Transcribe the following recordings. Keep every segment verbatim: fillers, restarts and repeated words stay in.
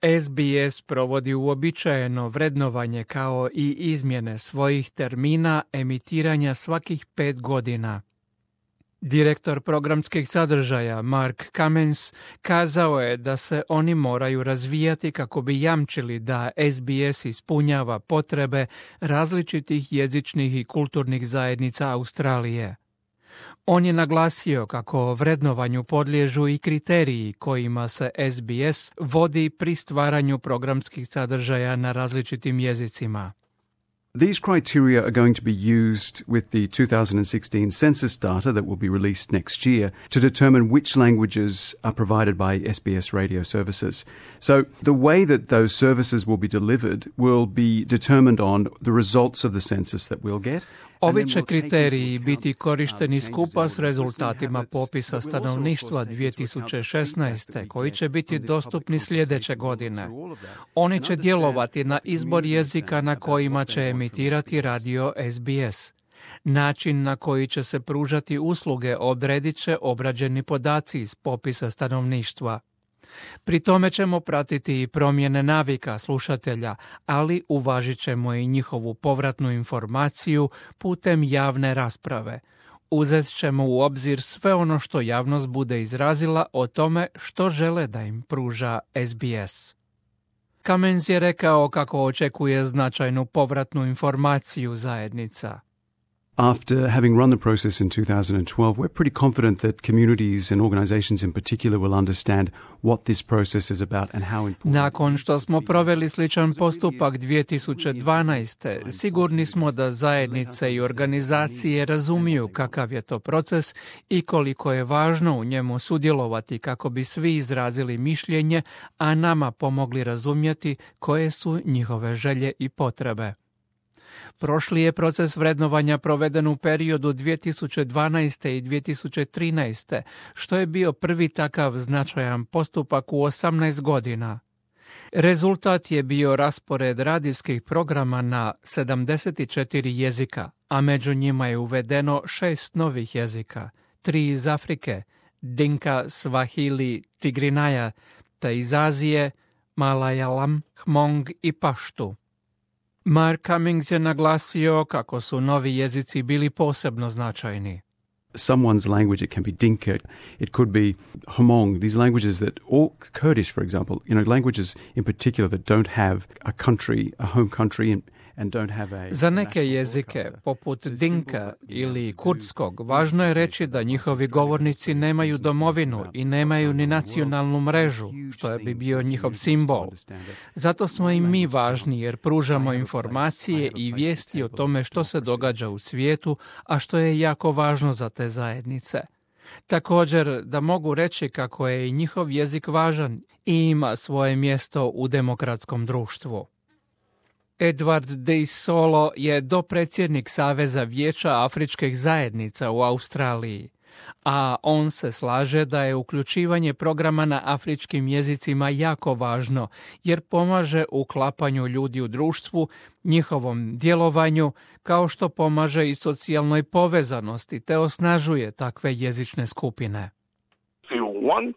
S B S provodi uobičajeno vrednovanje kao i izmjene svojih termina emitiranja svakih pet godina. Direktor programskih sadržaja Mark Cummins kazao je da se oni moraju razvijati kako bi jamčili da S B S ispunjava potrebe različitih jezičnih i kulturnih zajednica Australije. On je naglasio kako vrednovanju podliježu i kriteriji kojima se S B S vodi pri stvaranju programskih sadržaja na različitim jezicima. These criteria are going to be used with the two thousand sixteen census data that will be released next year to determine which languages are provided by S B S radio services. So the way that those services will be delivered will be determined on the results of the census that we'll get. Ovi će kriteriji biti korišteni skupa s rezultatima popisa stanovništva dvije tisuće šesnaeste, koji će biti dostupni sljedeće godine. Oni će djelovati na izbor jezika na kojima će emitirati radio S B S. Način na koji će se pružati usluge odredit će obrađeni podaci iz popisa stanovništva. Pri tome ćemo pratiti i promjene navika slušatelja, ali uvažit ćemo i njihovu povratnu informaciju putem javne rasprave. Uzet ćemo u obzir sve ono što javnost bude izrazila o tome što žele da im pruža S B S. Cummins je rekao kako očekuje značajnu povratnu informaciju zajednica. After having run the process in two thousand twelve, we're pretty confident that communities and organizations in particular will understand what this process is about and how important. Nakon što smo proveli sličan postupak dvije tisuće dvanaeste, sigurni smo da zajednice i organizacije razumiju kakav je to proces i koliko je važno u njemu sudjelovati kako bi svi izrazili mišljenje, a nama pomogli razumjeti koje su njihove želje i potrebe. Prošli je proces vrednovanja proveden u periodu dvije tisuće dvanaeste i dvije tisuće trinaeste, što je bio prvi takav značajan postupak u osamnaest godina. Rezultat je bio raspored radijskih programa na sedamdeset četiri jezika, a među njima je uvedeno šest novih jezika, tri iz Afrike, Dinka, Swahili, Tigrinaya, te iz Azije, Malayalam, Hmong i Paštu. Mark Cummins je naglasio kako su novi jezici bili posebno značajni. Someone's language, it can be Dinka, it could be Hmong, these languages that, or Kurdish, for example, you know, languages in particular that don't have a country, a home country and Za neke jezike, poput Dinka ili kurdskog, važno je reći da njihovi govornici nemaju domovinu i nemaju ni nacionalnu mrežu, što bi bio njihov simbol. Zato smo i mi važni jer pružamo informacije i vijesti o tome što se događa u svijetu, a što je jako važno za te zajednice. Također da mogu reći kako je i njihov jezik važan i ima svoje mjesto u demokratskom društvu. Edward De Solo je dopredsjednik Saveza vijeća afričkih zajednica u Australiji, a on se slaže da je uključivanje programa na afričkim jezicima jako važno, jer pomaže uklapanju ljudi u društvu, njihovom djelovanju, kao što pomaže i socijalnoj povezanosti, te osnažuje takve jezične skupine. If you want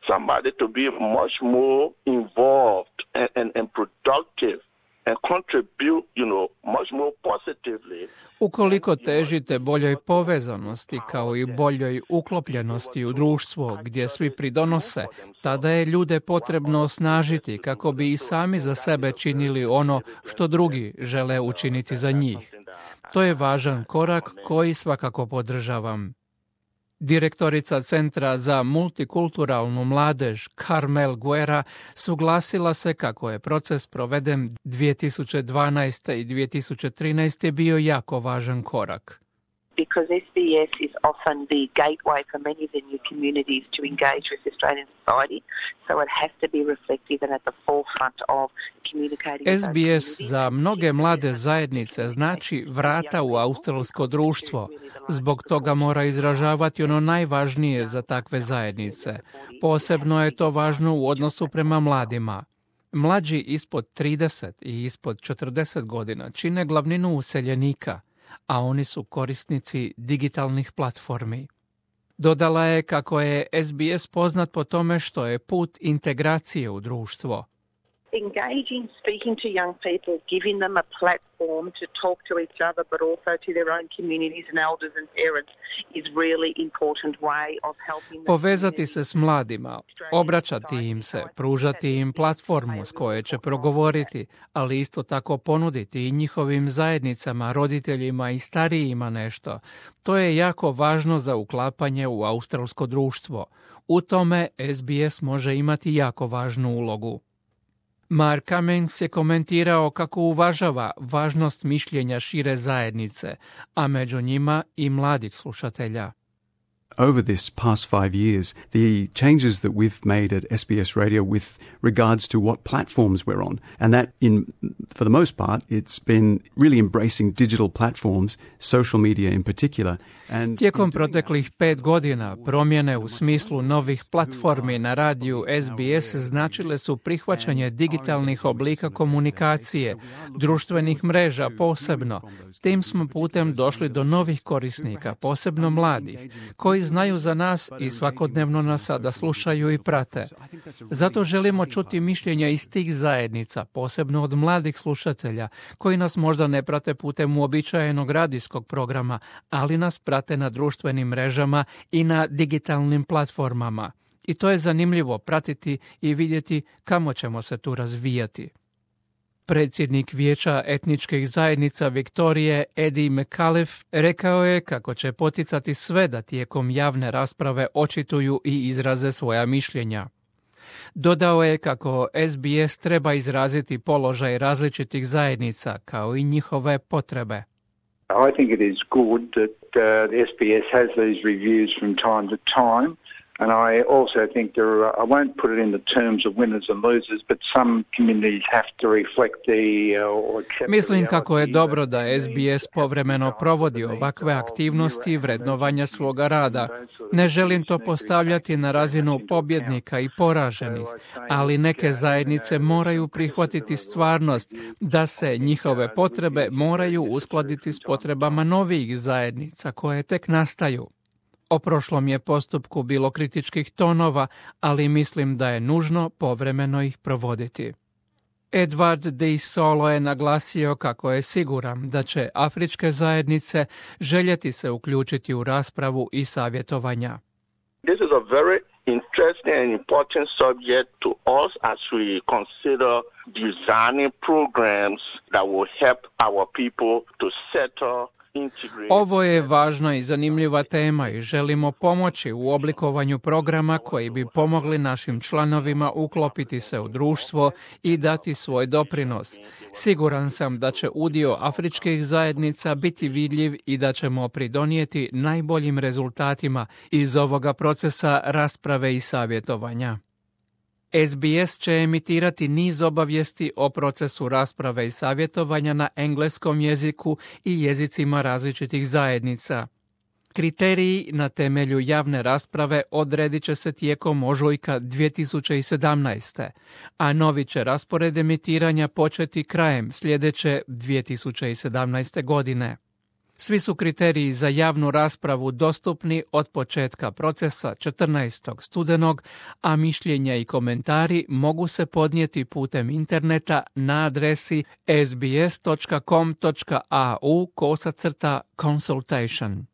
somebody to be much more involved and, and, and productive, and contribute, you know, much more positively. Ukoliko težite boljoj povezanosti kao i boljoj uklopljenosti u društvo gdje svi pridonose, tada je ljude potrebno osnažiti kako bi i sami za sebe činili ono što drugi žele učiniti za njih. To je važan korak koji svakako podržavam. Direktorica Centra za multikulturalnu mladež Carmel Guerra suglasila se kako je proces proveden dvije tisuće dvanaeste i dvije tisuće trinaeste bio jako važan korak. Because S B S is often the gateway for many of the new communities to engage with Australian society, so it has to be reflective and at the forefront of communicating. S B S za mnoge mlade zajednice znači vrata u australsko društvo. Zbog toga mora izražavati ono najvažnije za takve zajednice. Posebno je to važno u odnosu prema mladima. Mlađi ispod trideset i ispod četrdeset godina čine glavninu useljenika, a oni su korisnici digitalnih platformi. Dodala je kako je S B S poznat po tome što je put integracije u društvo. Engaging, speaking to young people, giving them a platform to talk to each other, but also to their own communities and elders and parents is really important way of helping them. Povezati se s mladima, obraćati im se, pružati im platformu s koje će progovoriti, ali isto tako ponuditi i njihovim zajednicama, roditeljima i starijima nešto. To je jako važno za uklapanje u australsko društvo. U tome S B S može imati jako važnu ulogu. Mark Cummings je komentirao kako uvažava važnost mišljenja šire zajednice, a među njima i mladih slušatelja. Over this past five years, the changes that we've made at S B S Radio with regards to what platforms we're on, and that in, for the most part, it's been really embracing digital platforms, social media in particular. And Tijekom proteklih pet godina promjene u smislu novih platformi na radiju S B S značile su prihvaćanje digitalnih oblika komunikacije, društvenih mreža posebno. Tim smo putem došli do novih korisnika, posebno mladih, koji znaju za nas i svakodnevno nas sada slušaju i prate. Zato želimo čuti mišljenja iz tih zajednica, posebno od mladih slušatelja, koji nas možda ne prate putem uobičajenog radijskog programa, ali nas prate na društvenim mrežama i na digitalnim platformama. I to je zanimljivo pratiti i vidjeti kamo ćemo se tu razvijati. Predsjednik Vijeća etničkih zajednica Viktorije Eddie McAuliffe rekao je kako će poticati sve da tijekom javne rasprave očituju i izraze svoja mišljenja. Dodao je kako S B S treba izraziti položaj različitih zajednica kao i njihove potrebe. I think it is good that uh, the S B S has these reviews from time to time. And I also think there are, I won't put it in the terms of winners and losers, but some communities have to reflect the uh, or accept. Mislim kako je dobro da S B S povremeno provodi ovakve aktivnosti vrednovanja svoga rada. Ne želim to postavljati na razinu pobjednika i poraženih, ali neke zajednice moraju prihvatiti stvarnost da se njihove potrebe moraju uskladiti s potrebama novih zajednica koje tek nastaju. O prošlom je postupku bilo kritičkih tonova, ali mislim da je nužno povremeno ih provoditi. Edward De Solo je naglasio kako je siguran da će afričke zajednice željeti se uključiti u raspravu i savjetovanja. This is a very interesting and important subject to us as we consider designing programs that will help our people to settle. Ovo je važna i zanimljiva tema i želimo pomoći u oblikovanju programa koji bi pomogli našim članovima uklopiti se u društvo i dati svoj doprinos. Siguran sam da će udio afričkih zajednica biti vidljiv i da ćemo pridonijeti najboljim rezultatima iz ovoga procesa rasprave i savjetovanja. S B S će emitirati niz obavijesti o procesu rasprave i savjetovanja na engleskom jeziku i jezicima različitih zajednica. Kriteriji na temelju javne rasprave odredit će se tijekom ožujka dvije tisuće sedamnaeste. a novi će raspored emitiranja početi krajem sljedeće dvije tisuće sedamnaeste. godine. Svi su kriteriji za javnu raspravu dostupni od početka procesa četrnaestog studenog, a mišljenja i komentari mogu se podnijeti putem interneta na adresi s b s dot com dot a u kosacrta consultation.